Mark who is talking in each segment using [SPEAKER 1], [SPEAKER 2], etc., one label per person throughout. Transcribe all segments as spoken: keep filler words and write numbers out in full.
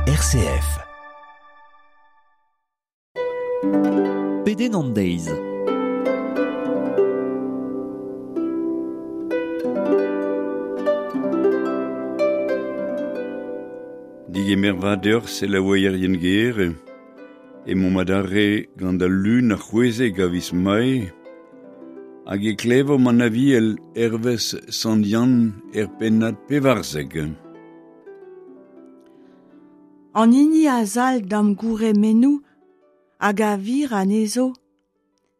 [SPEAKER 1] R C F.
[SPEAKER 2] Pedenn an deiz.
[SPEAKER 3] Digemer vat deoc'h selaouerien ger, emaomp adarre gant al lun ar c'hwezek a viz Mae, hag e klevomp an Aviel hervez Sant Yann er pennad pevarzek.
[SPEAKER 4] An hini a zalc'h d'am gourc'hemennoù hag a vir anezho,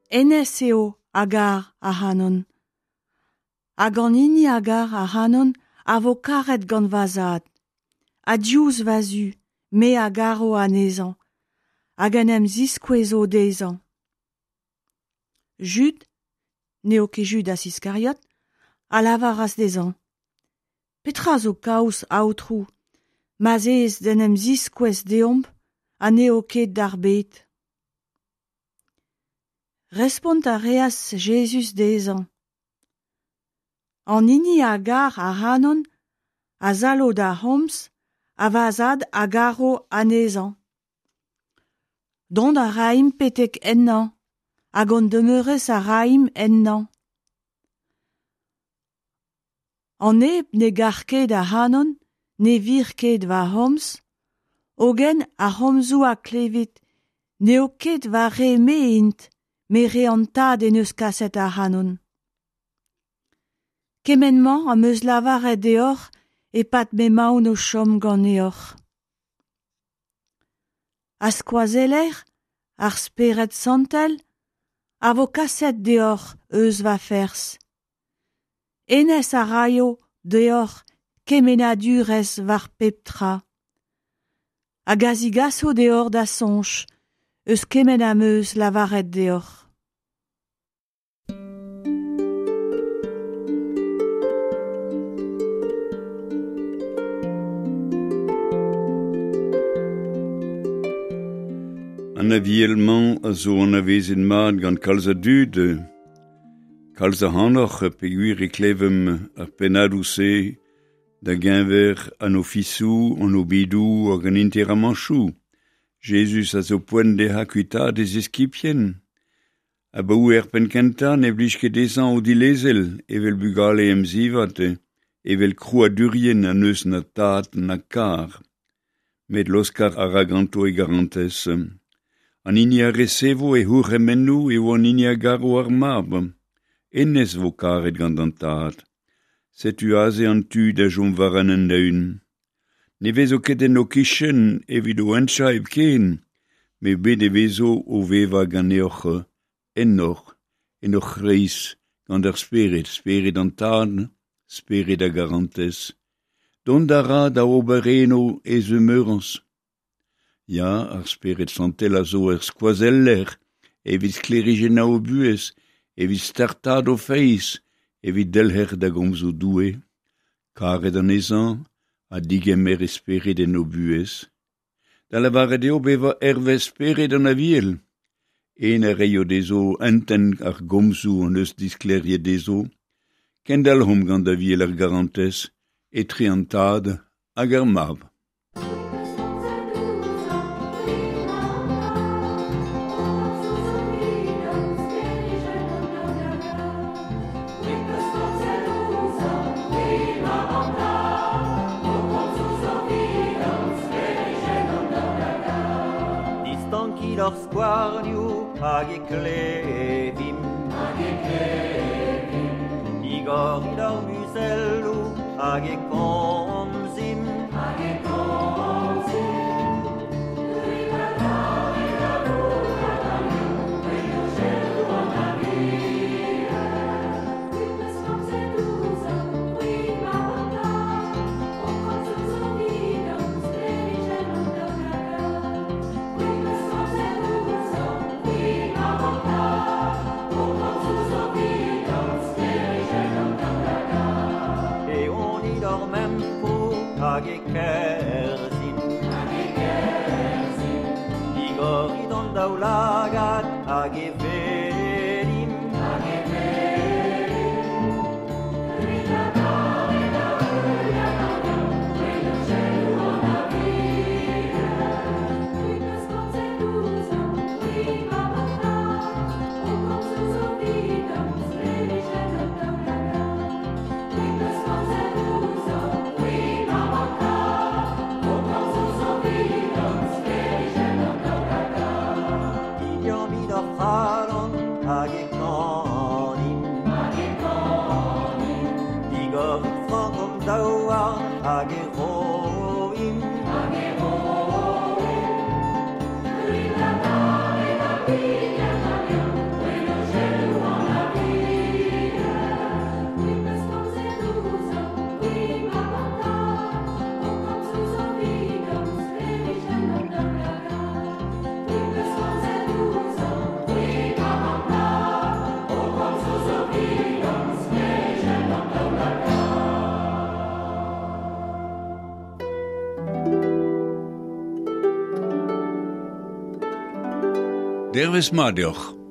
[SPEAKER 4] hennezh eo a gar ac'hanon. Hag an hini a gar ac'hanon a vo karet gant va zad. Ha diouzh va zu, me a garo anezhañ, hag en em ziskouezo dezhañ. Jud, n'eo ket Judas Iskariot, a lavaras dezhañ: Petra zo kaoz, Aotrou, ma'z ez d'en em ziskouez deomp ha n'eo ket d'ar bed? Respont a reas Jezuz dezhañ: An hini a gar ac'hanon a zalc'ho d'am c'homz ha va zad a garo anezhañ. Dont a raimp betek ennañ hag hon demeurañs a raimp ennañ. An neb ne gar ket ac'hanon ne vir ket va c'homz, hogen ar c'homzoù a klevit n'eo ket va re-me int, met re an Tad en deus kaset ac'hanon. Kement-mañ am eus lavaret deoc'h e-pad m'emaon o chom ganeoc'h. Ar Skoazeller, ar Spered Santel, a vo kaset deoc'h eus va ferzh. Hennezh a raio deoc'h kemennadurezh war pep tra. Hag a zigaso deoc'h da soñj eus kement am eus lavaret deoc'h.
[SPEAKER 3] An Aviel-mañ a zo anavezet mat gant kalz a dud. Kalz ac'hanoc'h peogwir e klevemp ar pennadoù-se da geñver an ofisoù, an obidoù hag an interamanchoù. Jezuz a zo poent dezhañ kuitaat e ziskibien. Abaoe er penn-kentañ ne blij ket dezhañ o dilezel evel bugale emzivat, evel krouadurien ha n'eus na tad na kar. Met laoskañ a ra ganto e garantez. An hini a resevo e c'hourc'hemennoù eo an hini a garo ar mab. Hennezh vo karet gant an tad. Setu aze an tu da chom war an hent-eeun. Ne vezo ket en ho kichen evit ho hentchañ hepken, met bet e vezo o vevañ ganeoc'h, ennoc'h, en hoc'h c'hreiz, gant ar Spered, Spered an Tad, Spered a garantez. Dont a ra da ober eno e zemeurañs. Ya, ar Spered Santel a zo ur skoazeller evit sklêrijennañ ho buhez, evit startaat ho feiz, evit delc'her da gomzoù Doue. Karet anezhañ ha digemer e Spered en ho buhez. Da lavaret eo bevañ hervez Spered an Aviel. En a reio dezho entent ar gomzoù hon eus disklêriet dezho. Kendalc'homp gant Aviel ar garantez, etre an Tad hag ar Mab.
[SPEAKER 5] Distankit hor skouarnioù hag e klevimp. Hag e klevimp. Digorit hor muzelloù hag e komzimp. Hag e komzimp. Eonit hor memproù hag e kerzhimp. Hag e kerzhimp. Digorit hon daoulagad hag e welimp. Hag e welimp.
[SPEAKER 3] Dervez mat deoc'h.